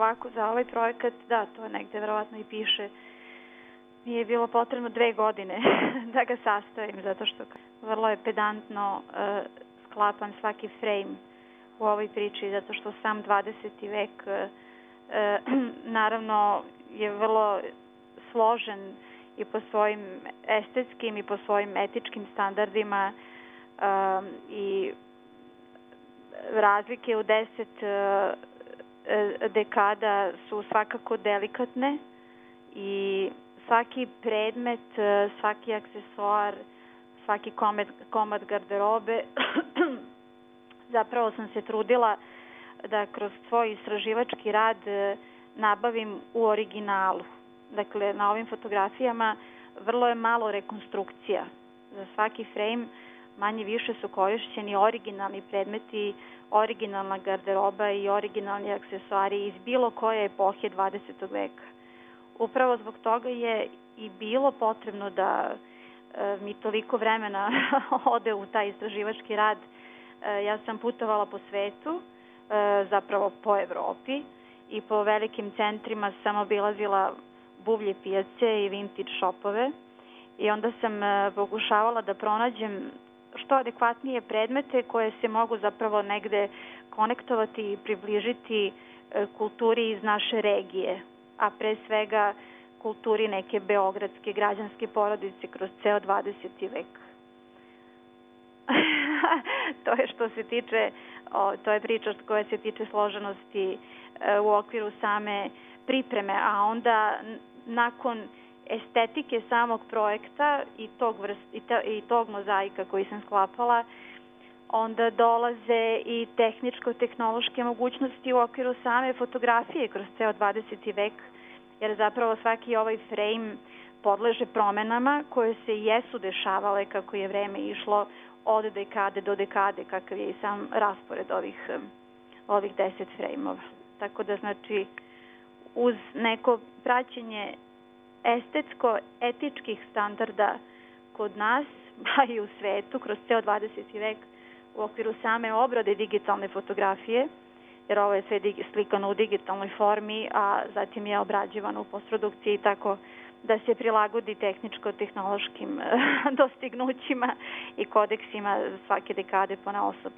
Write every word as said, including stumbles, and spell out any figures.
ovako, za ovaj projekat, da, to negde verovatno i piše, mi je bilo potrebno dve godine da ga sastavim, zato što vrlo je pedantno uh, sklapam svaki frame u ovoj priči, zato što sam dvadeseti vek uh, naravno je vrlo složen i po svojim estetskim i po svojim etičkim standardima um, i razlike u deset uh, dekada su svakako delikatne i svaki predmet, svaki aksesuar, svaki komad, komad garderobe zapravo sam se trudila da kroz svoj istraživački rad nabavim u originalu. Dakle, na ovim fotografijama vrlo je malo rekonstrukcija. Za svaki frame manje više su korišćeni originalni predmeti, originalna garderoba i originalni aksesuari iz bilo koje epohe dvadesetog veka. Upravo zbog toga je i bilo potrebno da e, mi toliko vremena ode u taj istraživački rad. E, ja sam putovala po svetu, e, zapravo po Evropi i po velikim centrima sam obilazila buvlje pijace i vintage shopove i onda sam e, pokušavala da pronađem što adekvatnije predmete koje se mogu zapravo negde konektovati i približiti e, kulturi iz naše regije, a pre svega kulturi neke beogradske građanske porodice kroz ceo dvadeseti vek. To je što se tiče, o, to je priča koja se tiče složenosti e, u okviru same pripreme, a onda nakon estetike samog projekta i tog, vrst, i, ta, i tog mozaika koji sam sklapala, onda dolaze i tehničko-tehnološke mogućnosti u okviru same fotografije kroz ceo dvadeseti vek, jer zapravo svaki ovaj frame podleže promenama koje se jesu dešavale kako je vreme išlo od dekade do dekade, kakav je i sam raspored ovih, ovih deset frejmova. Tako da, znači, uz neko praćenje estetsko-etičkih standarda kod nas, pa i u svetu, kroz ceo dvadeseti vek, u okviru same obrade digitalne fotografije, jer ovo je sve slikano u digitalnoj formi, a zatim je obrađivano u postprodukciji tako da se prilagodi tehničko-tehnološkim dostignućima i kodeksima svake dekade ponaosob.